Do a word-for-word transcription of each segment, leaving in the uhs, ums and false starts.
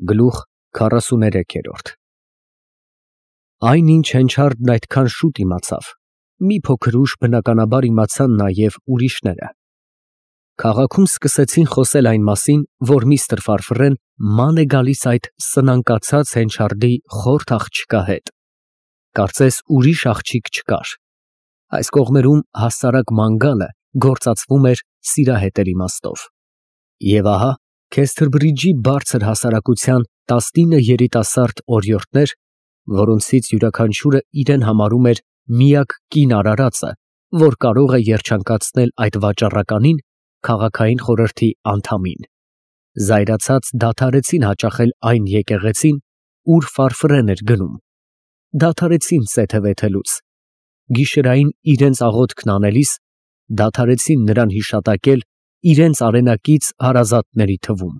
Գլուխ քառասուներեք։ Այն ինչ Հենչարդն այդքան շուտ իմացավ, մի փոքր ուշ բնականաբար իմացան նաև ուրիշները։ Քաղաքում սկսեցին խոսել այն մասին, որ միստր Ֆարֆռեն ման է գալիս այդ սնանկացած Հենչարդի խորթ աղջկա հետ։ Կարծես ուրիշ աղջիկ չկար։ Այս կողմերում հասարակ ման գալը գործածվում էր սիրահետեր իմաստով։ Եվ ահա Քեսթրբրիջի բարձր հասարակության տասնինը երիտասարդ օրիորդներ, որոնցից յուրաքանչյուրը իրեն համարում էր միակ կին արարածը, որ կարող է երջանկացնել այդ վաճառականին, քաղաքային խորհրդի անդամին, զայրացած դադարեցին հաճախել այն եկեղեցին, ուր Ֆարֆռեն էր գնում, դադարեցին սեթևեթելուց, գիշերային իրենց աղոթքն անելիս, դադարեցին նրան հիշատակել իրենց արենակից հարազատների թվում,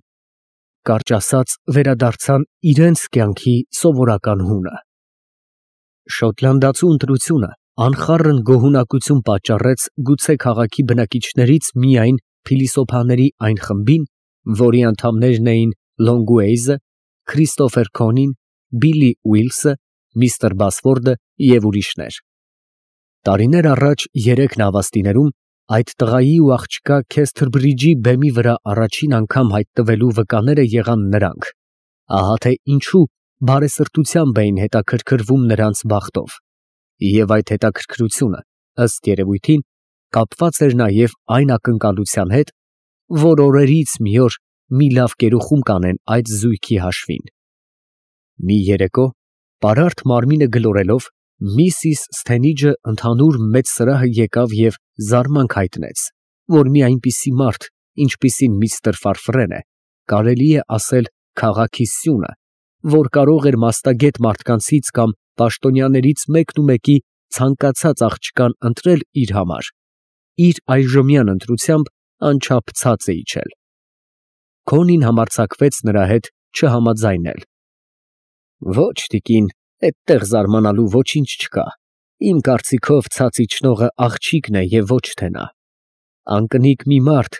կարճ ասած վերադարձան իրենց կյանքի սովորական հունը։ Շոտլանդացու ընտրությունը անխառն գոհունակություն պատճառեց գուցե քաղաքի բնակիչներից միայն փիլիսոփաների այն խմբին, որի անդամներն էին Լոնգուեյզը, Քրիստոֆեր Քոնին, Բիլլի Ուիլսը, միստր Բասֆորդը և ուրիշներ։ Տարիներ առաջ երեք նավաստիներում այդ տղայի ու աղջկա Քեսթրբրիջի բեմի վրա առաջին անգամ հայտնվելու վկաները եղան նրանք, ահա թե ինչու բարեսրտությամբ էին հետաքրքրվում նրանց բախտով, և այդ հետաքրքրությունը, ըստ երևույթին, կապված էր նաև այն ակնկալության հետ, որ օրերից մի օր մի լավ կերուխում կանեն այդ զույգի հաշվին։ Մի երեկո, պարարտ մարմինը գլորելով, միսիս Սթենիջը ընդհանուր մեծ սրահը եկավ և զարմանք հայտնեց, որ մի այնպիսի մարդ, ինչպիսին միստր Ֆարֆռենը, կարելի է ասել քաղաքի սյունը, որ կարող էր մաստագետ մարդկանցից կամ պաշտոնյաներից մեկնումեկի ցանկացած աղջկան ընտրել իր համար, իր այժմյան ընտրությամբ անչափ ցած է իջել։ Քոնին համարձակվեց նրա հետ չհամաձայնել։ Ոչ, տիկին, այդտեղ զարմանալու ոչինչ չկա, իմ կարծիքով ցած իջնողը աղջիկն է և ոչ թե նա։ Անկնիկ մի մարդ,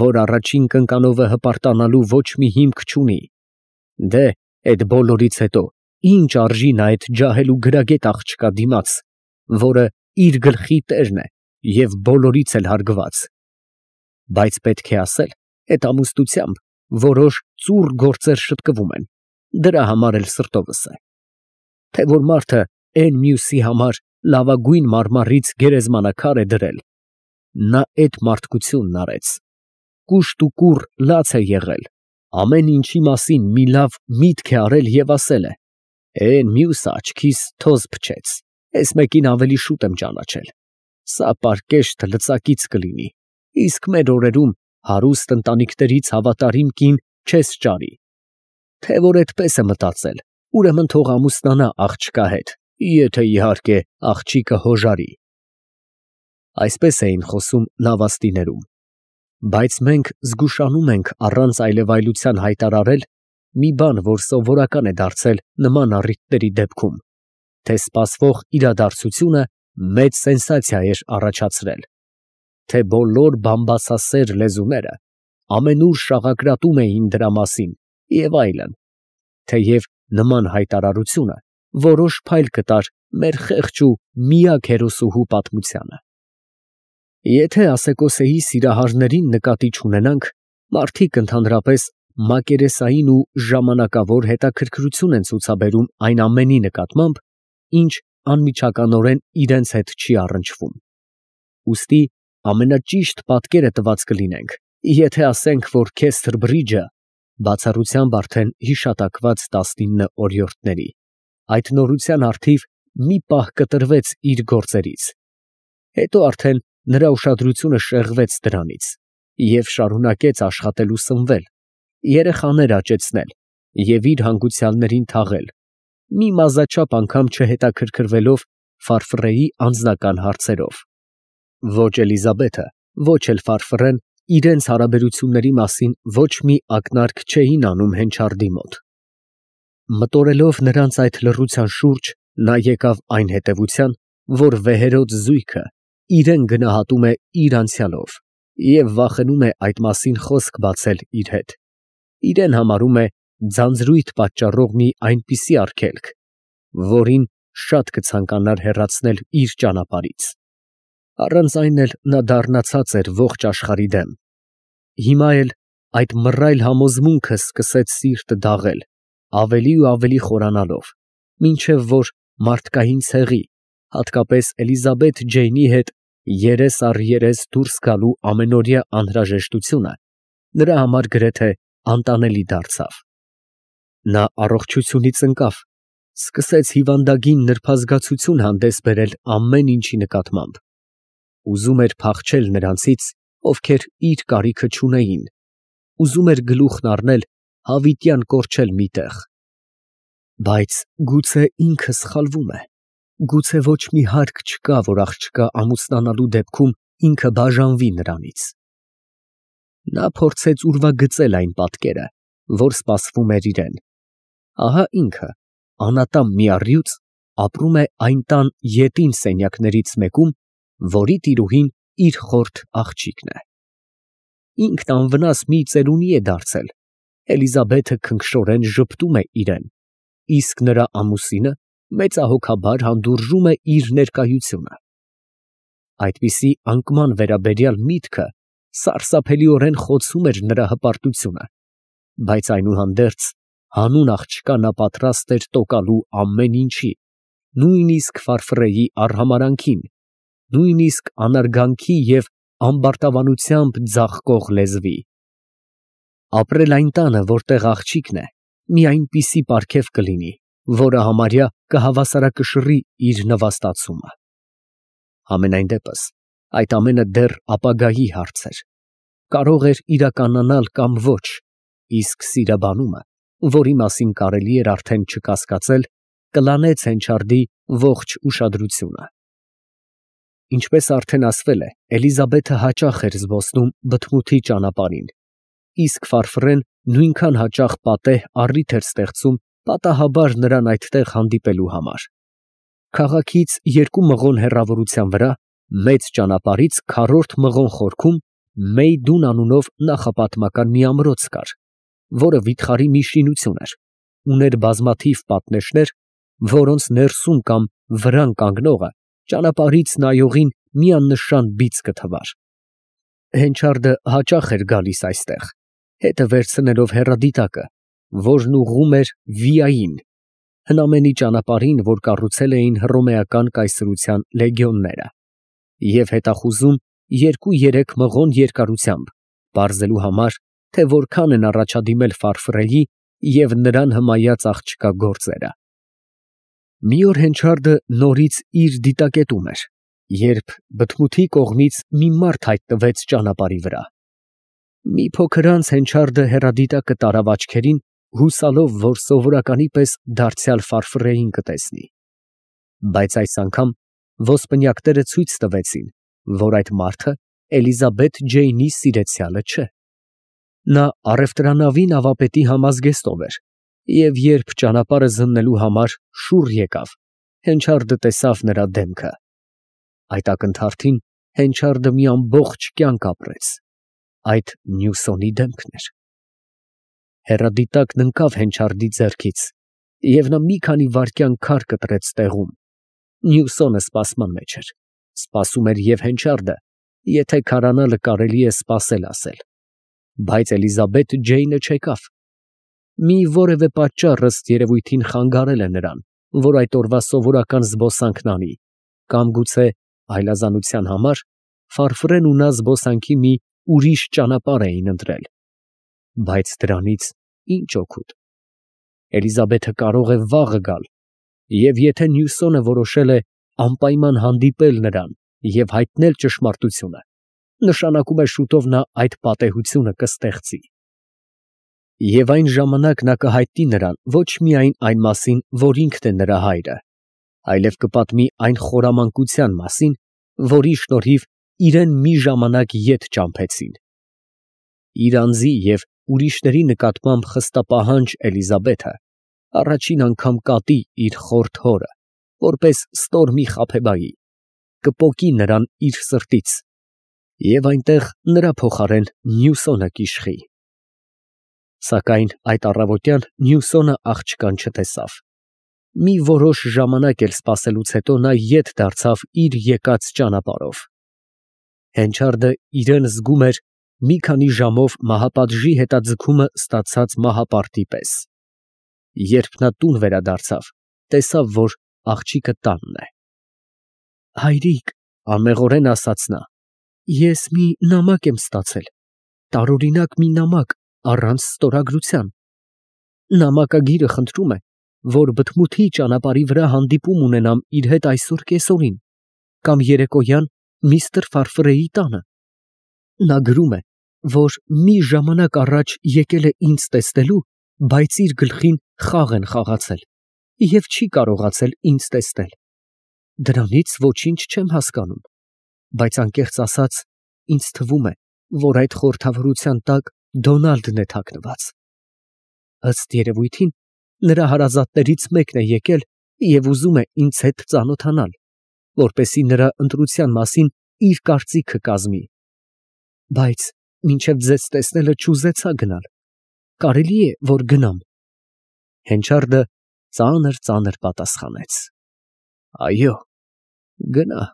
որ առաջին կնկանովը հպարտանալու ոչ մի հիմք չունի։ Դե, այդ բոլորից հետո ինչ արժի նա այդ ջահել ու գրագետ աղջկա դիմաց, որը իր գլխի տերն է և բոլորից էլ հարգված։ Բայց պետք է ասել, այդ ամուսնությամբ որոշ ծուռ գործեր շտկվում են, դրա համար էլ սրտովս է։ Թե որ մարդը էն մյուսի համար լավագույն մարմարից գերեզմանակար է դրել, նա այդ մարդկությունն արեց, կուշտ ու կուռ լաց է եղել, ամեն ինչի մասին մի լավ միտք է արել և ասել է. «Էն մյուսը աչքիս թոզ փչեց, էս մեկին ավելի շուտ եմ ճանաչել, սա պարկեշտ լծակից կլինի, իսկ մեր օրերում հարուստ ընտանիքներից հավատարիմ կին չես ճարի։ Թե որ էդպես է մտածել, ուրեմն թող ամուսնանա աղջկա հետ, եթե իհարկե աղջիկը հոժարի»։ Այսպես էին խոսում նավաստիներում, բայց մենք զգուշանում ենք առանց այլևայլության հայտարարել մի բան, որ սովորական է դարձել նման առիթների դեպքում, թե սպասվող իրադարձությունը մեծ սենսացիա էր առաջացրել, թե բոլոր բամբասասեր լեզուները ամենուր շաղակրատում էին դրա մասին և այլն, թեև նման հայտարարությունը որոշ փայլ կտար մեր խեղճ ու միակ հերոսուհու պատմությանը։ Եթե Ասեկոսեի սիրահարներին նկատի չունենանք, մարդիկ ընդհանրապես մակերեսային ու ժամանակավոր հետաքրքրություն են ցուցաբերում այն ամենի նկատմամբ, ինչ անմիջականորեն իրենց հետ չի առնչվում։ Ուստի ամենաճիշտ պատկերը տված կլինենք, եթե ասենք, որ Քեսթրբրիջը բացառությամբ արդեն հիշատակված տասնինը օրիորդների, այդ նորության առթիվ մի պահ կտրվեց իր գործերից, հետո արդեն նրա ուշադրությունը շեղվեց դրանից և շարունակեց աշխատել ու սնվել, երեխաներ աճեցնել և իր հանգուցյալներին թաղել, մի մազաչափ անգամ չհետաքրքրվելով Ֆարֆռեի անձնական հարցերով։ Ոչ Էլիզաբեթը, ոչ էլ Ֆարֆռեն իրենց հարաբերությունների մասին ոչ մի ակնարկ չէին անում Հենչարդի մոտ։ Մտորելով նրանց այդ լռության շուրջ, նա եկավ այն հետևության, որ վեհերոտ զույգը իրեն գնահատում է իր անցյալով և վախենում է այդ մասին խոսք բացել իր հետ, իրեն համարում է ձանձրույթ պատճառող մի այնպիսի արգելք, որին շատ կցանկանար հեռացնել իր ճանապարհից. առանց այն էլ նա դառնացած էր ողջ աշխարհի դեմ. հիմա էլ այդ մռայլ համոզմունքը սկսեց սիրտը դաղել, ավելի ու ավելի խորանալով, մինչև որ մարդկային ցեղի, հատկապես Էլիզաբեթ Ջեյնի հետ երես առ երես դուրս գալու ամենօրյա անհրաժեշտությունը նրա համար գրեթե անտանելի դարձավ։ Նա առողջությունից ընկավ, սկսեց հիվանդագին նրբազգացություն հանդես բերել ամեն ինչի նկատմամբ, ուզում էր փախչել նրանցից, ովքեր իր կարիքը չունեին, ուզում էր գլուխն առնել, հավիտյան կորչել մի տեղ։ Բայց գուցե ինքը սխալվում է, գուցե ոչ մի հարկ չկա, որ աղջկա ամուսնանալու դեպքում ինքը բաժանվի նրանից։ Նա փորձեց ուրվագծել այն պատկերը, որ սպասվում էր իրեն։ Ահա ինքը, անատամ մի առյուծ, ապրում է այն տան ետին սենյակներից մեկում, որի տիրուհին իր խորթ աղջիկն է։ Ինքն անվնաս մի ծերունի է դարձել, Էլիզաբեթը քնքշորեն ժպտում է իրեն, իսկ նրա ամուսինը մեծահոգաբար հանդուրժում է իր ներկայությունը։ Այդպիսի անկման վերաբերյալ միտքը սարսափելիորեն խոցում էր նրա հպարտությունը, բայց այնուհանդերձ հանուն աղջկա նա պատրաստ էր տոկալու ամեն ինչի, նույնիսկ Ֆարֆրեի արհամարհանքին, նույնիսկ անարգանքի և ամբարտավանությամբ ձաղկող լեզվի։ Ապրել այն տանը, որտեղ աղջիկն է, մի այնպիսի պարգև կլինի, որը համարյա կհավասարակշռի իր նվաստացումը։ Համենայն դեպս, այդ ամենը դեռ ապագայի հարց էր, կարող էր իրականանալ կամ ոչ, իսկ սիրաբանումը, որի մասին կարելի էր արդեն չկասկածել, կլանեց Հենչարդի ողջ ուշադրությունը։ Ինչպես արդեն ասվել է, Էլիզաբեթը հաճախ էր զբոսնում բթմութի ճանապարհին, իսկ Ֆարֆրեն նույնքան հաճախ պատեհ առիթ էր ստեղծում պատահաբար նրան այդտեղ հանդիպելու համար։ Քաղաքից երկու մղոն հեռավորության վրա, մեծ ճանապարհից քառորդ մղոն խորքում Մեյդուն անունով նախապատմական մի ամրոց կար, որը վիթխարի մի շինություն էր, ուներ բազմաթիվ պատնեշներ, որոնց ներսում կամ վրան կանգնողը ճանապարհից նայողին մի աննշան բիծ կթվար։ Հենչարդը հաճախ էր գալիս այստեղ, հետը վերցնելով հեռադիտակը, որն ուղղում էր Վիային, հնամենի ճանապարհին, որ կառուցել էին հռոմեական կայսրության լեգիոնները, և հետախուզում երկու֊երեք մղոն երկարությամբ, պարզելու համար, թե որքան են առաջադիմել Ֆարֆրեի և նրան հմայած աղջկա գործերը։ Մի օր Հենչարդը նորից իր դիտակետում էր, երբ բթմութի կողմից մի մարդ հայտնվեց ճանապարհի վրա։ Մի փոքր անց Հենչարդը հեռադիտակը տարավ աչքերին, հուսալով, որ սովորականի պես դարձյալ Ֆարֆրեին կտեսնի։ Բայց այս անգամ ոսպնյակները ցույց տվեցին, որ այդ մարդը Էլիզաբեթ Ջեյնի սիրեցյալը չէ։ Նա առևտրանավի նավապետի համազգեստով էր, և երբ ճանապարհը զննելու համար շուռ եկավ, Հենչարդը տեսավ նրա դեմքը։ Այդ ակնթարթին Հենչարդը մի ամբողջ կյանք ապրեց, այդ Նյուսոնի դեմքն էր։ Հեռադիտակն ընկավ Հենչարդի ձեռքից, և նա մի քանի վայրկյան քար կտրեց տեղում։ Նյուսոնը սպասման մեջ էր, սպասում էր և Հենչարդը, եթե քարանալը կարելի է սպասել ասել, բայց Էլիզաբեթ Ջեյնը չեկավ։ Մի որևէ պատճառ ըստ երևույթին խանգարել է նրան, որ այդ օրվա սովորական զբոսանքն անի, կամ գուցե այլազանության համար Ֆարֆրեն ու նա զբոսանքի մի ուրիշ ճանապարհ էին ընտրել, բայց դրանից ի՞նչ օգուտ։ Էլիզաբեթը կարող է վաղը գալ, և եթե Նյուսոնը որոշել է անպայման հանդիպել նրան և հայտնել ճշմարտությունը, նշանակում է շուտով նա այդ պատեհությունը կստեղծի։ Եվ այն ժամանակ նա կհայտնի նրան ոչ միայն այն մասին, որ ինքն է նրա հայրը, այլև կպատմի այն խորամանկության մասին, որի շնորհիվ իրեն մի ժամանակ ետ ճամփեցին։ Իր անձի և ուրիշների նկատմամբ խստապահանջ Էլիզաբեթը առաջին անգամ կատի իր խորթ հորը, որպես ստոր մի խաբեբայի, կպոկի նրան իր սրտից, և այնտեղ նրա փոխարեն Նյուսոնը կիշխի։ Սակայն այդ առավոտյան Մյուսոնը աղջկան չտեսավ։ Մի որոշ ժամանակ էլ սպասելուց հետո նա ետ դարձավ իր եկած ճանապարհով։ Հենչարդը իրան զգում էր մի քանի ժամով մահապատժի հետաձգումը ստացած մահապարտի պես։ Երբ նա տուն վերադարձավ, տեսավ, որ աղջիկը տանն է։ Հայրիկ, անմեղորեն ասաց նա, ես մի նամակ եմ ստացել, տարօրինակ մի նամակ, առանց ստորագրության։ Նամակագիրը խնդրում է, որ բթմութի ճանապարհի վրա հանդիպում ունենամ իր հետ այսօր կեսօրին, կամ երեկոյան միստր Ֆարֆրեի տանը։ Նա գրում է, որ մի ժամանակ առաջ եկել է ինձ տեսնելու, բայց իր գլխին խաղ են խաղացել և չի կարողացել ինձ տեսնել։ Դրանից ոչինչ չեմ հասկանում, բայց անկեղծ ասած, ինձ թվում է, որ այդ խորհրդավորության տակ Դոնալդն է թաքնված։ Ըստ երևույթին, նրա հարազատներից մեկն է եկել և ուզում է ինձ հետ ծանոթանալ, որպեսզի նրա ընտրության մասին իր կարծիքը կազմի։ Բայց մինչև ձեզ տեսնելը չուզեցա գնալ։ Կարելի է, որ գնամ։ Հենչարդը ծանր-ծանր պատասխանեց. Այո, գնա։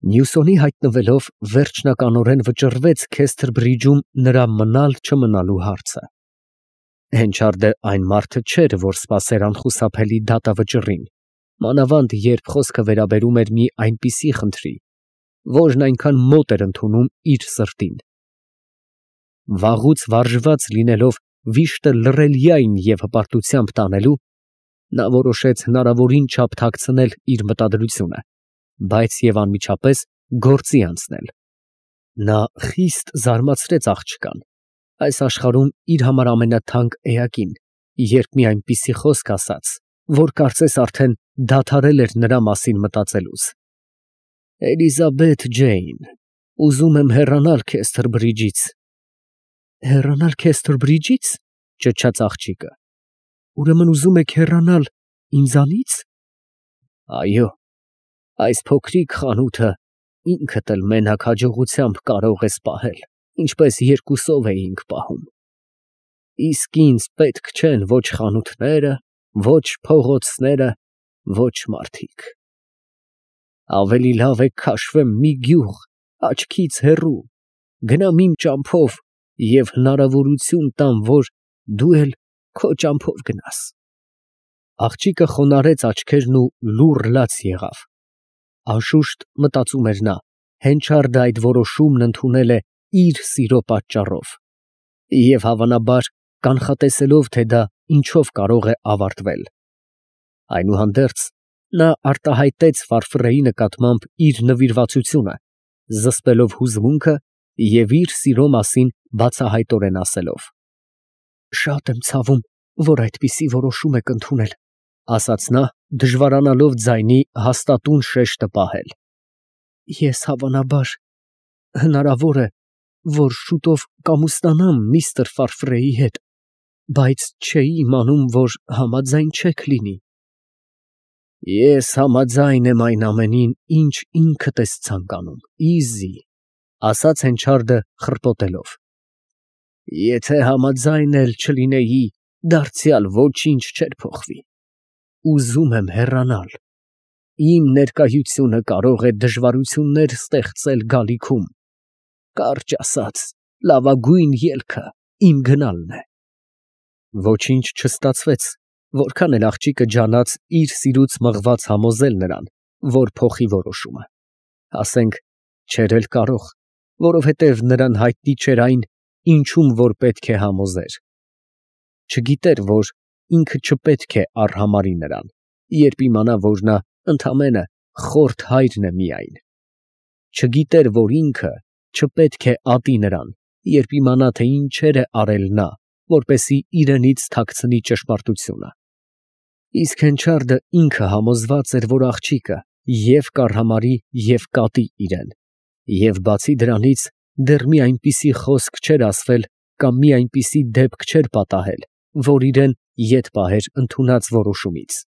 Մյուսոնի հայտնվելով վերջնականորեն վճռվեց Քեսթր Բրիջում նրա մնալ չմնալու հարցը։ Հենչարդը այն մարդը չէր, որ սպասեր անխուսափելի դատավճռին, մանավանդ երբ խոսքը վերաբերում էր մի այնպիսի խնդրի, որն այնքան մոտ էր ընդունում իր սրտին։ Վաղուց վարժված լինելով վիշտը լռելյայն և հպարտությամբ տանելու, նա որոշեց հնարավորին չափ թաքցնել իր մտադրությունը, բայց և անմիջապես գործի անցնել։ Նա խիստ զարմացրեց աղջկան, այս աշխարհում իր համար ամենաթանկ էակին, երբ մի այնպիսի խոսք ասաց, որ կարծես արդեն դադարել էր նրա մասին մտածելուց։ Էլիզաբեթ Ջեյն, ուզում եմ հեռանալ Քեսթր Բրիջից։ Հեռանալ Քեսթր Բրիջից, ճչաց աղջիկը։ Ուրեմն ուզում եք հեռանալ ինձանից։ Այո, այս փոքրիկ խանութը ինքդ էլ մենակ հաջողությամբ կարող ես պահել, ինչպես երկուսով էինք պահում։ Իսկ ինձ պետք չեն ոչ խանութները, ոչ փողոցները, ոչ մարդիկ։ Ավելի լավ է քաշվեմ մի գյուղ, աչքից հեռու, գնամ իմ ճամփով և հնարավորություն տամ, որ դու էլ քո ճամփով գնաս։ Աղջիկը խոնարհեց աչքերն ու լուռ լաց եղավ։ Անշուշտ, մտածում էր նա, Հենչարդը այդ որոշումն ընդունել է իր սիրո պատճառով և հավանաբար կանխատեսելով, թե դա ինչով կարող է ավարտվել։ Այնուհանդերձ, նա արտահայտեց Ֆարֆրեի նկատմամբ իր նվիրվածությունը, զսպելով հուզմունքը և իր սիրո մասին բացահայտորեն ասելով. Շատ եմ ցավում, որ այդպիսի որոշում եք ընդունել, ասաց նա, դժվարանալով ձայնի հաստատուն շեշտը պահել։ Ես հավանաբար, հնարավոր է, որ շուտով կամուսնանամ միստր Ֆարֆրեի հետ, բայց չէի իմանում, որ համաձայն չեք լինի։ Ես համաձայն եմ այն ամենին, ինչ ինքդ ես ցանկանում, իզի, ասաց Հենչարդը խռպոտելով։ Եթե համաձայն էլ չլինեի, դարձյալ ոչինչ չէր փոխվի։ Ուզում եմ հեռանալ։ Իմ ներկայությունը կարող է դժվարություններ ստեղծել գալիքում։ Կարճ ասած, լավագույն ելքը իմ գնալն է։ Ոչինչ չստացվեց, որքան էլ աղջիկը ջանաց իր սիրուց մղված համոզել նրան, որ փոխի որոշումը։ Ասենք, չէր էլ կարող, որովհետև նրան հայտնի չէր այն, ինչում որ պետք է համոզեր։ Չգիտեր, որ ինքը չպետք է արհամարի նրան, երբ իմանա, որ նա ընդամենը խորթ հայրն է միայն։ Չգիտեր, որ ինքը չպետք է ատի նրան, երբ իմանա, թե ինչեր է արել նա, որպեսզի իրենից թաքցնի ճշմարտությունը։ Իսկ Հենչարդը ինքը համոզված էր, որ աղջիկը և կարհամարի, և կատի իրեն, և բացի դրանից դեռ մի այնպիսի խոսք չէր ասվել կամ մի այնպիսի դեպք չէր պատահել, որ իրեն ետ պահեր ընդունած որոշումից։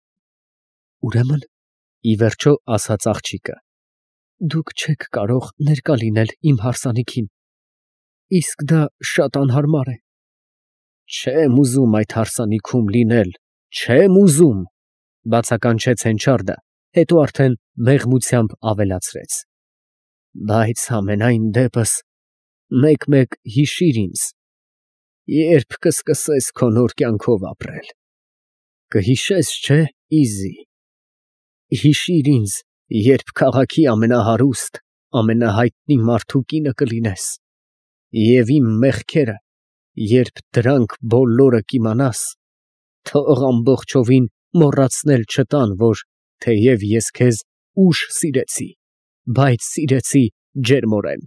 Ուրեմն, ի վերջո ասաց աղջիկը, դուք չեք կարող ներկա լինել իմ հարսանիքին, իսկ դա շատ անհարմար է։ Չեմ ուզում այդ հարսանիքում լինել, չեմ ուզում, բացականչեց Հենչարդը, հետո արդեն մեղմությամբ ավելացրեց. Բայց ամենայն դեպս մեկ֊մեկ հիշիր ինձ, երբ կսկսես քո նոր կյանքով ապրել, կհիշես, չէ՞, Իզի, հիշիր ինձ, երբ քաղաքի ամենահարուստ, ամենահայտնի մարդու կինը կլինես, և իմ մեղքերը, երբ դրանք բոլորը կիմանաս, թող ամբողջովին մոռացնել չտան, որ թեև ես քեզ ուշ սիրեցի, բայց սիրեցի ջերմորեն։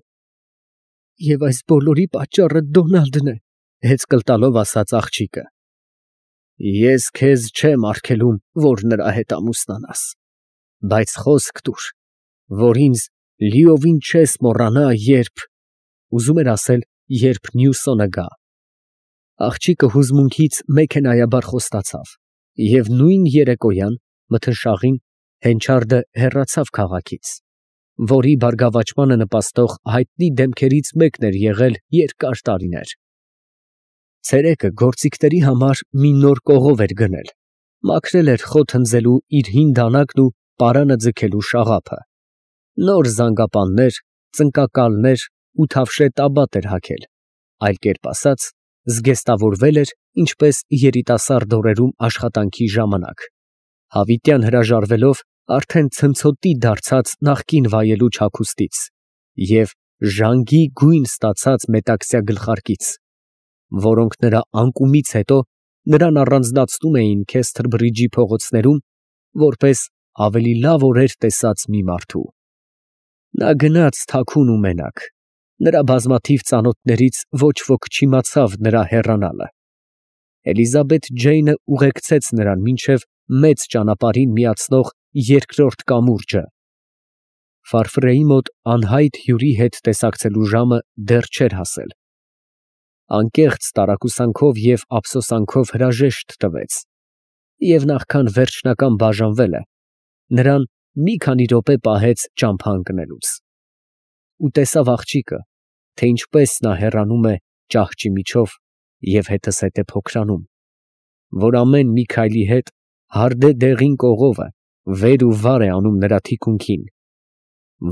Եվ այս բոլորի պատճառը Դոնալդն է, հեծկլ տալով ասաց աղջիկը։ Ես քեզ չեմ արգելում, որ նրա հետ ամուսնանաս, բայց խոսք տուր, որ ինձ լիովին չես մոռանա, երբ… ուզում էր ասել, երբ Նյուսոնը գա։ Աղջիկը հուզմունքից մեքենայաբար խոստացավ, և նույն երեկոյան, մթնշաղին, Հենչարդը հեռացավ քաղաքից, որի բարգավաճմանը նպաստող հայտնի դեմքերից մեկն էր եղել երկար տարիներ։ Ցերեկը գործիքների համար մի նոր կողով էր գնել, մաքրել էր խոտ հնձելու իր հին դանակն ու պարանը ձգելու շաղափը, նոր զանգապաններ, ծնկակալներ ու թավշե տաբատ էր հագել, այլ կերպ ասած, զգեստավորվել էր, ինչպես երիտասարդ օրերում աշխատանքի ժամանակ, հավիտյան հրաժարվելով արդեն ցնցոտի դարձած նախկին վայելուչ հագուստից և ժանգի գույն ստացած մետաքսյա գլխարկից, որոնք նրա անկումից հետո նրան առանձնացնում էին Քեսթր Բրիջի փողոցներում, որպես ավելի լավ օրեր տեսած մի մարդու։ Նա գնաց թաքուն ու մենակ, նրա բազմաթիվ ծանոթներից ոչ ոք չիմացավ նրա հեռանալը։ Էլիզաբեթ Ջեյնը ուղեկցեց նրան մինչև մեծ ճանապարհին միացնող երկրորդ կամուրջը։ Ֆարֆրեի մոտ անհայտ հյուրի հետ տեսակցելու ժամը դեռ չէր հասել։ Անկեղծ տարակուսանքով և ափսոսանքով հրաժեշտ տվեց, և նախքան վերջնական բաժանվելը, նրան մի քանի րոպե պահեց ճամփա ընկնելուց։ Ու տեսավ աղջիկը, թե ինչպես նա հեռանում է ճահճի միջով և հետզհետե փոքրանում, որ ամեն մի քայլի հետ հարդե դեղին կողովը վեր ու վար է անում նրա թիկունքին,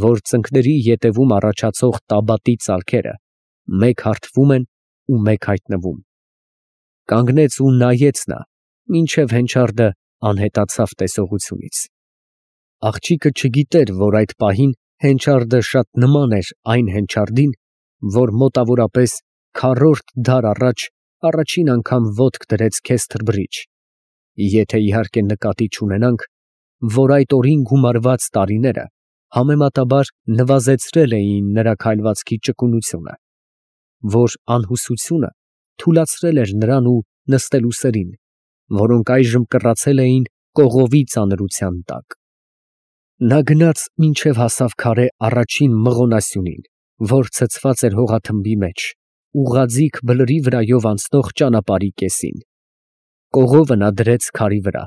որ ծնկների ետևում առաջացող տաբատի ծալքերը մեկ հարթվում են ու մեկ հայտնվում։ Կանգնեց ու նայեց նա, մինչև Հենչարդը անհետացավ տեսողությունից։ Աղջիկը չգիտեր, որ այդ պահին Հենչարդը շատ նման էր այն Հենչարդին, որ մոտավորապես քառորդ դար առաջ առաջին անգամ ոտք դրեց Քեսթր Բրիջ, եթե իհարկե նկատի չունենանք, որ այդ օրին գումարված տարիները համեմատաբար նվազեցրել էին նրա քայլվածքի ճկունությունը, որ անհուսությունը թուլացրել էր նրան ու նստելու սերին, որոնք այժմ կռացել էին կողովի ծանրության տակ։ Նա գնաց մինչև հասավ քարե առաջին մղոնասյունին, որ ցցված էր հողաթմբի մեջ, ուղղաձիգ բլրի վրայով անցնող ճանապարհի կեսին։ Կողովը նա դրեց քարի վրա,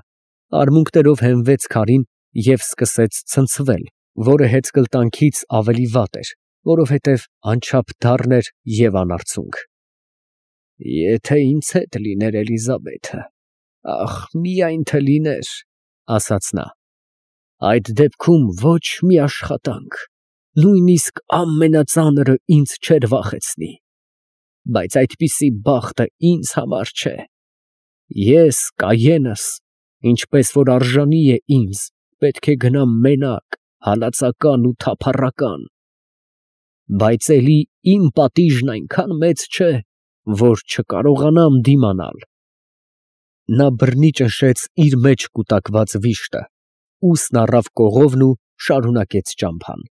արմունկներով հենվեց քարին և սկսեց ցնցվել, որը հեծկլտանքից ավելի վատ էր, որովհետև անչափ դառն էր և անարդյունք։ Եթե ինձ հետ լիներ Էլիզաբեթը, ախ, միայն թե լիներ, ասաց նա, այդ դեպքում ոչ մի աշխատանք, նույնիսկ ամենածանրը ինձ չէր վախեցնի, բայց այդպիսի բախտը ինձ համար չէ։ Ես կայենս, ինչպես որ արժանի է ինձ, պետք է գնամ մենակ, հալածական ու թափառական, բայց էլի իմ պատիժն այնքան մեծ չէ, որ չկարողանամ դիմանալ։ Նա բռնի ճնշեց իր մեջ կուտակված վիշտը, ուսն առավ կողովն ու շարունակեց ճամփան։